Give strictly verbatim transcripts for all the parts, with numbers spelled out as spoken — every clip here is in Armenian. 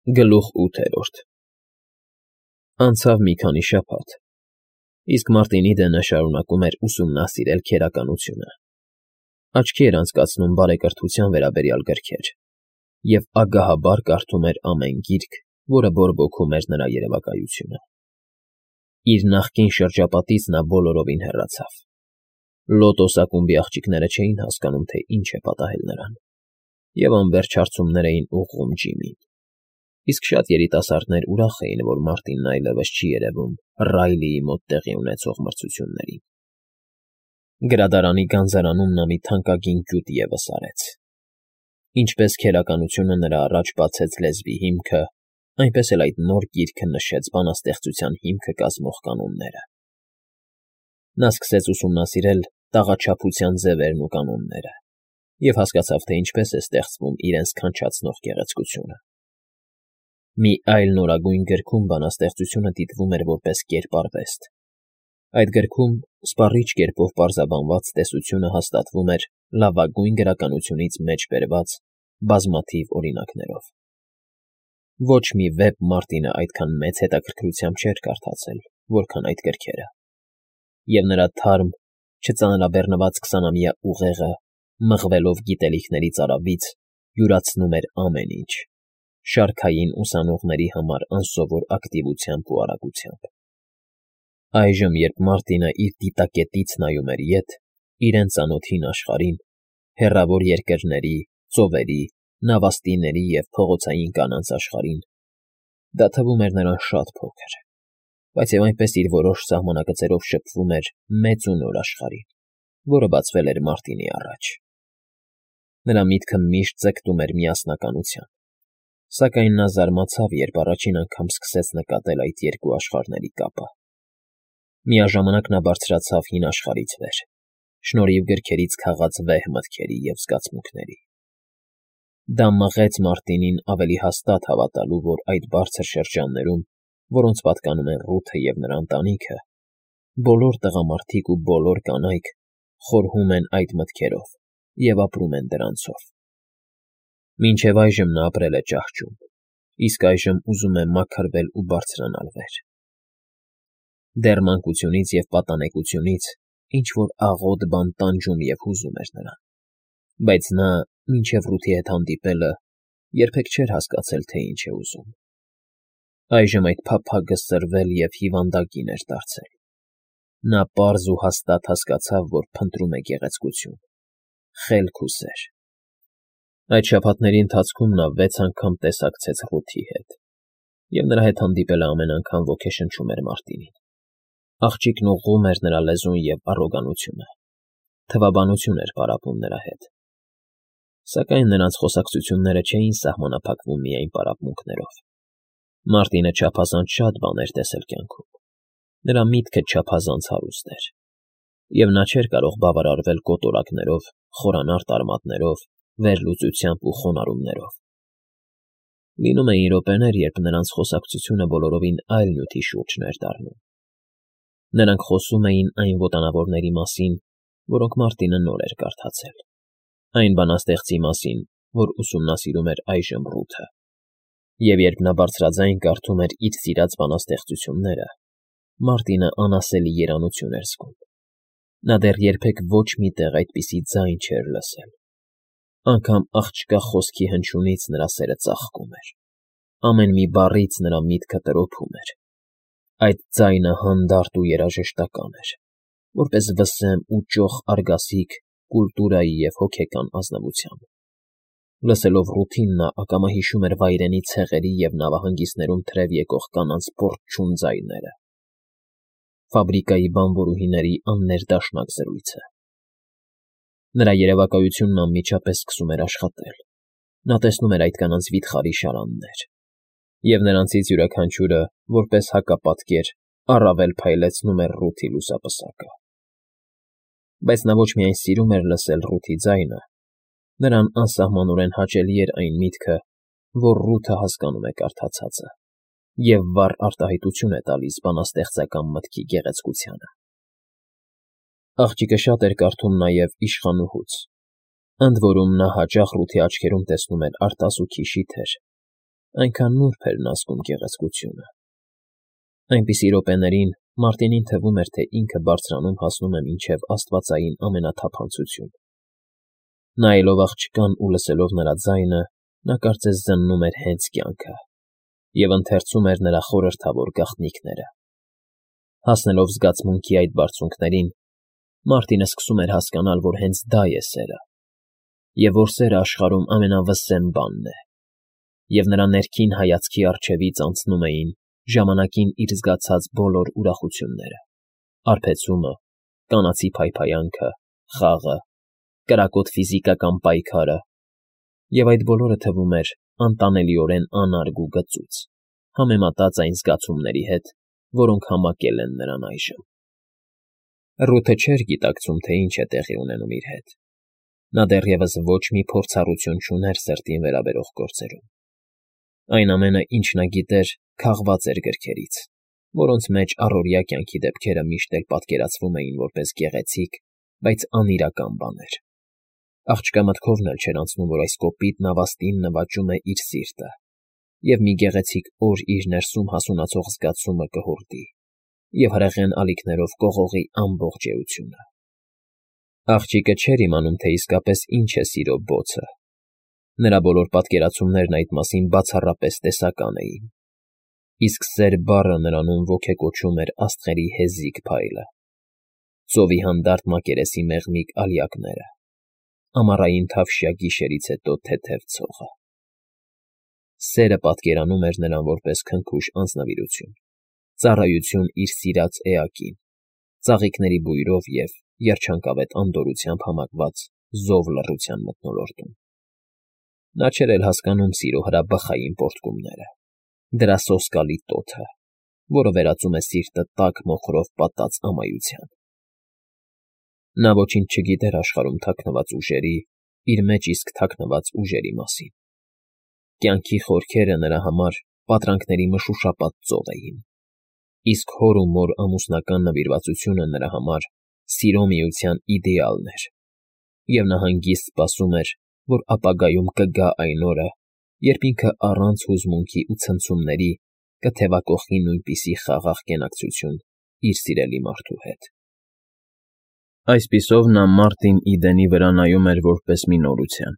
Գլուխ ութերորդ Անցավ մի քանի շաբաթ, իսկ Մարտինի դենը շարունակում էր ուսումնասիրել քերականությունը, աչքի էր անցկացնում բարեկրթության վերաբերյալ գրքեր և ագահաբար կարդում էր ամեն գիրք, որը բորբոքում էր նրա երևակայությունը։ Իր նախկին շրջապատից նա բոլորովին հեռացավ։ Լոտոս ակումբի աղջիկները չէին հասկանում, թե ինչ է պատահել նրան, և անվերջ հարցումներ էին ուղղում Ջիմին, իսկ շատ երիտասարդներ ուրախ էին, որ Մարտինն այլևս չի երևում Ռայլիի մոտ տեղի ունեցող մրցություններին։ Գրադարանի գանձարանում նա մի թանկագին գյուտ ևս արեց։ Ինչպես քերականությունը նրա առաջ բացեց լեզվի հիմքը, այնպես էլ այդ նոր գիրքը նշեց բանաստեղծության հիմքը կազմող կանոնները։ Նա սկսեց ուսումնասիրել տաղաչափության ձևերն ու կանոնները և հասկացավ, թե ինչպես է ստեղծվում իրենց քանչացնող գեղեցկությունը։ Մի այլ նորագույն գրքում բանաստեղծությունը դիտվում էր որպես կերպարվեստ։ Այդ գրքում սպառիչ կերպով պարզաբանված տեսությունը հաստատվում էր լավագույն գրականությունից մեջ բերված բազմաթիվ օրինակներով։ Ոչ մի վեպ Մարտինը այդքան մեծ հետաքրքրությամբ չէր կարդացել, որքան այդ գրքերը, և նրա թարմ, չծանրաբեռնված քսանամյա ուղեղը, մղվելով գիտելիքների ծարավից, յուրացնում էր ամեն ինչ, շարքային ուսանողների համար անսովոր ակտիվությամբ ու արագությամբ։ Այժմ, երբ Մարտինը իր դիտակետից նայում էր ետ, իրեն ծանոթ հին աշխարհին, հեռավոր երկրների, ծովերի, նավաստիների և փողոցային կանանց աշխարհին, դա թվում էր նրան շատ փոքր, բայց և այնպես իր որոշ սահմանակցերով շփվում էր մեծ ու նոր աշխարհին, որը բացվել էր Մարտինի առաջ։ Նրա միտքը միշտ ձգտում էր միասնականության, սակայն նա զարմացավ, երբ առաջին անգամ սկսեց նկատել այդ երկու աշխարհների կապը։ Միաժամանակ նա բարձրացավ հին աշխարհից վեր, շնորհիվ գրքերից քաղած վեհ մտքերի և զգացմունքների։ Դա մղեց Մարտինին ավելի հաստատ հավատալու, որ այդ բարձր շրջաններում, որոնց պատկանում են Ռութը և նրա ընտանիքը, բոլոր տղամարդիկ ու բոլոր կանայք խորհում են այդ մտքերով և ապրում են դրանցով։ Մինչև այժմ նա ապրել է ճահճում, իսկ այժմ ուզում է մաքրվել ու բարձրանալ վեր։ Դեռ մանկությունից և պատանեկությունից ինչ֊որ աղոտ բան տանջում և հուզում էր նրան, բայց նա, մինչև Ռութի հետ հանդիպելը, երբեք չէր հասկացել, թե ինչ է ուզում։ Այժմ այդ փափագը սրվել և հիվանդագին էր դարձել։ Նա պարզ ու հաստատ հասկացավ, որ փնտրում է գեղեցկություն, խելք ու սեր։ Այդ շաբաթների ընթացքում նա վեց անգամ տեսակցեց Ռութի հետ, և նրա հետ հանդիպելը ամեն անգամ ոգեշնչում էր Մարտինին։ Աղջիկն ուղղում էր նրա լեզուն և առոգանությունը, թվաբանություն էր պարապում նրա հետ։ Սակայն նրանց խոսակցությունները չէին սահմանափակվում միայն պարապմունքներով։ Մարտինը չափազանց շատ բան էր տեսել կյանքում, նրա միտքը չափազանց հարուստ էր, և նա չէր կարող բավարարվել կոտորակներով, խորանարդ արմատներով, վերլուծությամբ ու խոնարհումներով։ Լինում էին րոպեներ, երբ նրանց խոսակցությունը բոլորովին այլ նյութի շուրջն էր դառնում։ Նրանք խոսում էին այն հոտանավորների մասին, որոնք Մարտինը նոր էր կարդացել, այն բանաստեղծի մասին, որ ուսումնասիրում էր այժմ Ռութը, և երբ նա բարձրաձայն կարդում էր իր սիրած բանաստեղծությունները, Մարտինը անասելի երանություն էր զգում։ Նա դեռ երբեք ոչ մի տեղ այդպիսի ձայն չէր լսել։ Անգամ աղջկա խոսքի հնչյունից նրա սերը ծաղկում էր։ Ամեն մի բառից նրա միտքը տրոփում էր։ Այդ ձայնը հանդարտ ու երաժշտական էր, որպես վսեմ ու ճոխ արգասիք կուլտուրայի և հոգեկան ազնվության։ Լսելով Ռութին, նա ակամա հիշում էր վայրենի ցեղերի և նավահանգիստներում թրև եկող կանանց պոռթչուն ձայները, ֆաբրիկայի բանվորուհիների աններդաշնակ զրույցը։ Նրա երևակայությունն անմիջապես սկսում էր աշխատել։ Նա տեսնում էր այդ կանանց վիթխարի շարաններ, և նրանցից յուրաքանչյուրը, որպես հակապատկեր, առավել փայլեցնում էր Ռութի լուսապսակը։ Բայց նա ոչ միայն սիրում էր լսել Ռութի ձայնը, նրան անսահմանորեն հաճելի էր այն միտքը, որ Ռութը հասկանում է կարդացածը և վառ արտահայտություն է տալիս բանաստեղծական մտքի գեղեցկությանը։ Աղջիկը շատ էր կարդում նաև Իշխանուհուց, ընդ որում նա հաճախ Ռութի աչքերում տեսնում էր արտասուքի շիթեր, այնքան նուրբ էր նա զգում գեղեցկությունը։ Այնպիսի րոպեներին Մարտինին թվում էր, թե ինքը բարձրանում հասնում է մինչև աստվածային ամենաթափանցություն։ Նայելով աղջկան ու լսելով նրա ձայնը, նա կարծես զննում էր հենց կյանքը և ընթերցում էր նրա խորհրդավոր գաղտնիքները։ Հասնելով զգացմունքի այդ բարձունքներին, Մարտինը սկսում էր հասկանալ, որ հենց դա է սերը, և որ սերը աշխարհում ամենավսեմ բանն է, և նրա ներքին հայացքի առջևից անցնում էին ժամանակին իր զգացած բոլոր ուրախությունները՝ արբեցումը, կանացի փայփայանքը, խաղը, կրակոտ ֆիզիկական պայքարը, և այդ բոլորը թվում էր անտանելիորեն անարգ ու գծուծ, համեմատած այն զգացումների հետ, որոնք համակել են նրան այժմ։ Ռութը չէր գիտակցում, թե ինչ է տեղի ունենում իր հետ։ Նա դեռևս ոչ մի փորձառություն չուներ սրտին վերաբերող գործերում։ Այն ամենը, ինչ նա գիտեր, քաղված էր գրքերից, որոնց մեջ առօրյա կյանքի դեպքերը միշտ էլ պատկերացվում էին որպես գեղեցիկ, բայց անիրական բաներ։ Աղջկա մտքովն էլ չէր անցնում, որ այս կոպիտ նավաստին նվաճում է իր սիրտը, և մի գեղեցիկ օր իր ներսում հասունացող զգացումը կհորդի և հրեղեն ալիքներով կողողի ամբողջ էությունը։ Աղջիկը չէր իմանում, թե իսկապես ինչ է սիրո բոցը։ Նրա բոլոր պատկերացումներն այդ մասին բացառապես տեսական էին, իսկ սեր բառը նրանում ոգեկոչում էր աստղերի հեզիկ փայլը, ծովի հանդարտ մակերեսի մեղմիկ ալյակները, ամառային թավշյա գիշերից հետո թեթև ցողը։ Սերը պատկերանում էր նրան որպես քնքուշ անձնվիրություն, ծառայություն իր սիրած էակին, ծաղիկների բույրով և երջանկավետ անդորրությամբ համակված զով լռության մթնոլորտում։ Նա չէր էլ հասկանում սիրո հրաբխային պոռթկումները, դրա սոսկալի տոթը, որը վերածում է սիրտը տաք մոխրով պատած ամայության։ Նա ոչինչ չգիտեր աշխարհում թաքնված ուժերի, իր մեջ իսկ թաքնված ուժերի մասին։ Կյանքի խորքերը նրա համար պատրանքների մշուշապատ ծով էին, իսկ հոր ու մոր ամուսնական նվիրվածությունը նրա համար սիրո միության իդեալն էր, և նա հանգիստ սպասում էր, որ ապագայում կգա այն օրը, երբ ինքը առանց հուզմունքի ու ցնցումների կթևակոխի նույնպիսի խաղաղ կենակցություն իր սիրելի մարդու հետ։ Այսպիսով նա Մարտին Իդենի վրա նայում էր որպես մի նորության,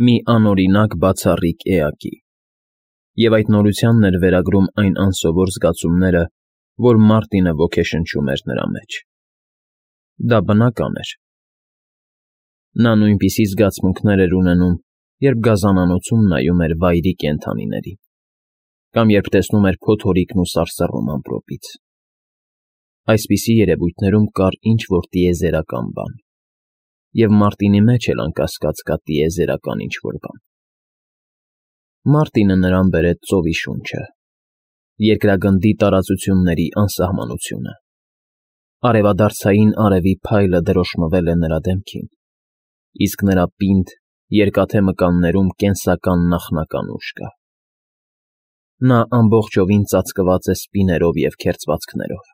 մի անօրինակ բացառիկ էակի, և այդ նորությանն էր վերագրում այն անսովոր զգացումները, որ Մարտինը ոգեշնչում էր նրա մեջ։ Դա բնական էր։ Նա նույնպիսի զգացմունքներ էր ունենում, երբ գազանանոցում նայում էր վայրի կենդանիներին, կամ երբ տեսնում էր փոթորիկն ու սարսռում ամպրոպից։ Այսպիսի երևույթներում կար ինչ-որ տիեզերական բան, և Մարտինի մեջ էլ անկասկած կա տիեզերական ինչ-որ բան։ Մարտինը նրան բերեց ծովի շունչը, երկրագնդի տարածությունների անսահմանությունը։ Արևադարձային արևի փայլը դրոշմվել է նրա դեմքին, իսկ նրա պինդ, երկաթե մկաններում կենսական նախնական ուժ կա։ Նա ամբողջովին ծածկված է սպիներով և քերծվածքներով,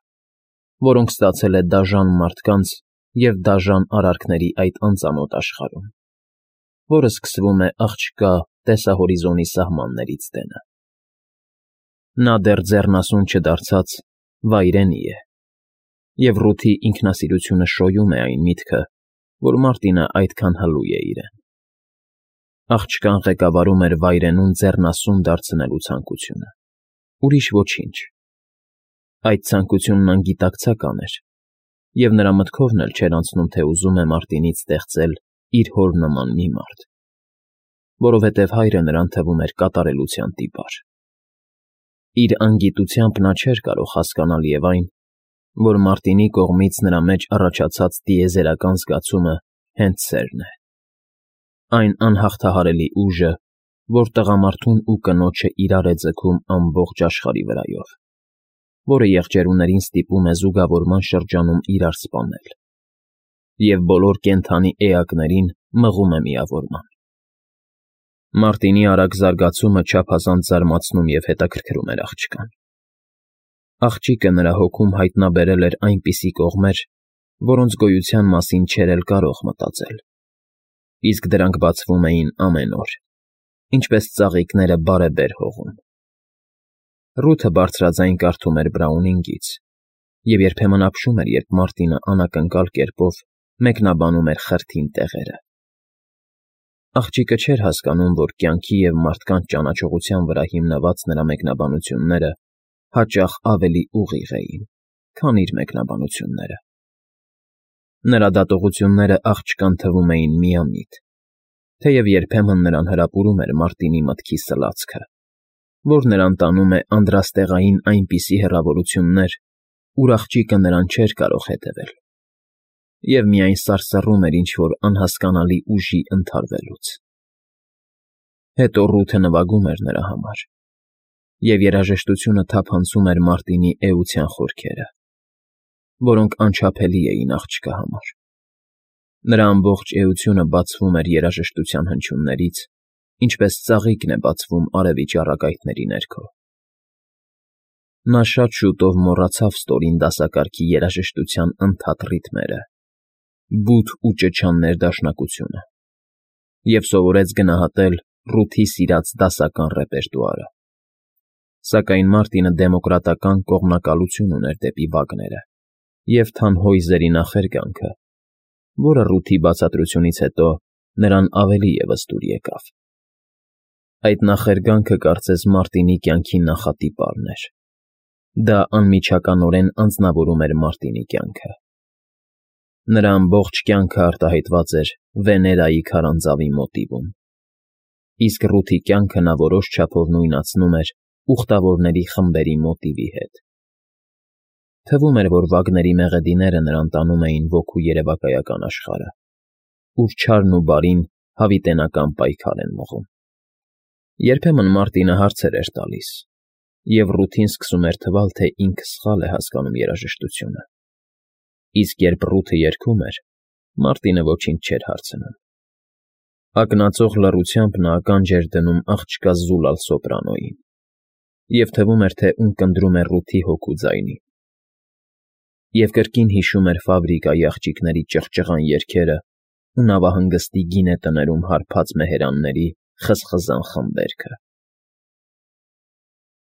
որոնք ստացել է դաժան մարդկանց և դաժան արարքների այդ անծանոթ աշխարհում, որը սկսվում է աղջկա տեսահորիզոնի սահմաններից տենը։ Նա դեռ ձեռնասուն չդարձած վայրենի է, և Ռութի ինքնասիրությունը շոյում է այն միտքը, որ Մարտինը այդքան հլու է իրեն։ Աղջկան ղեկավարում էր վայրենուն ձեռնասուն դարձնելու ցանկությունը, ուրիշ ոչինչ։ Այդ ցանկությունն անգիտակցական էր, և նրա մտքովն էլ չէր անցնում, թե ուզում է Մարտինից ստեղծել իր հոր նման մի մարդ, որովհետև հայրը նրան թվում էր կատարելության տիպար։ Իր անգիտությամբ նա չէր կարող հասկանալ և այն, որ Մարտինի կողմից նրա մեջ առաջացած տիեզերական զգացումը հենց սերն է, այն անհաղթահարելի ուժը, որ տղամարդուն ու կնոջը իրար է ձգում ամբողջ աշխարհի վրայով, որը եղջերուներին ստիպում է զուգավորման շրջանում իրար սպանել, և բոլոր կենդանի էակներին մղում է միավորման։ Մարտինի արագ զարգացումը չափազանց զարմացնում և հետաքրքրում էր աղջկան։ Աղջիկը նրա հոգում հայտնաբերել էր այնպիսի կողմեր, որոնց գոյության մասին չէր էլ կարող մտածել, իսկ դրանք բացվում էին ամեն օր, ինչպես ծաղիկները բարեբեր հողում։ Ռութը բարձրաձայն կարդում էր Բրաունինգից և երբեմն ապշում էր, երբ Մարտինը անակնկալ կերպով մեկնաբանում էր խրթին տեղերը։ Աղջիկը չէր հասկանում, որ կյանքի և մարդկանց ճանաչողության վրա հիմնված նրա մեկնաբանությունները հաճախ ավելի ուղիղ էին, քան իր մեկնաբանությունները։ Նրա դատողությունները աղջկան թվում էին միամիտ, թեև երբեմն նրան հրապուրում էր Մարտինի մտքի սլացքը, որ նրան տանում է անդրաստեղային այնպիսի հեռավորություններ, ուր աղջիկը նրան չէր կարող հետևել, և միայն սարսռում էր ինչ֊որ անհասկանալի ուժի ընդհարվելուց։ Հետո Ռութը նվագում էր նրա համար, և երաժշտությունը թափանցում էր Մարտինի էության խորքերը, որոնք անչափելի էին աղջկա համար։ Նրա ամբողջ էությունը բացվում էր երաժշտության հնչյուններից, ինչպես ծաղիկն է բացվում արևի ճառագայթների ներքո։ Նա շատ շուտով մոռացավ ստորին դասակարգի երաժշտության ընդհատ ռիթմերը, բութ ու ճչան ներդաշնակությունը և սովորեց գնահատել Ռութի սիրած դասական ռեպերտուարը։ Սակայն Մարտինը դեմոկրատական կողմնակալություն ուներ դեպի վագները և Թանհոյզերի նախերգանքը, որը Ռութի բացատրությունից հետո նրան ավելի ևս դուր եկավ։ Այդ նախերգանքը կարծես Մարտինի կյանքի նախատիպարն էր։ Դա անմիջականորեն անձնավորում էր Մարտինի կյանքը։ Նրա ամբողջ կյանքը արտահայտված էր Վեներայի քարանձավի մոտիվում, իսկ Ռութի կյանքը նա որոշ չափով նույնացնում էր ուխտավորների խմբերի մոտիվի հետ։ Թվում էր, որ վագների մեղեդիները նրան տանում էին ոգու երևակայական աշխարհը, ուր չարն ու բարին հավիտենական պայքար են մղում։ Երբեմն Մարտինը հարցեր էր տալիս, և Ռութին սկսում էր թվալ, թե ինքը սխալ է հասկանում երաժշտությունը, իսկ երբ Ռութը երգում էր, Մարտինը ոչինչ չէր հարցնում։ Ակնածող լռությամբ նա ականջ էր դնում աղջկա զուլալ սոպրանոյին, և թվում էր, թե ունկնդրում է Ռութի հոգու ձայնին, և կրկին հիշում էր ֆաբրիկայի աղջիկների ճղճղան երգերը ու նավահանգստի գինետներում հարբած մեհերանների խզխզան խմբերքը։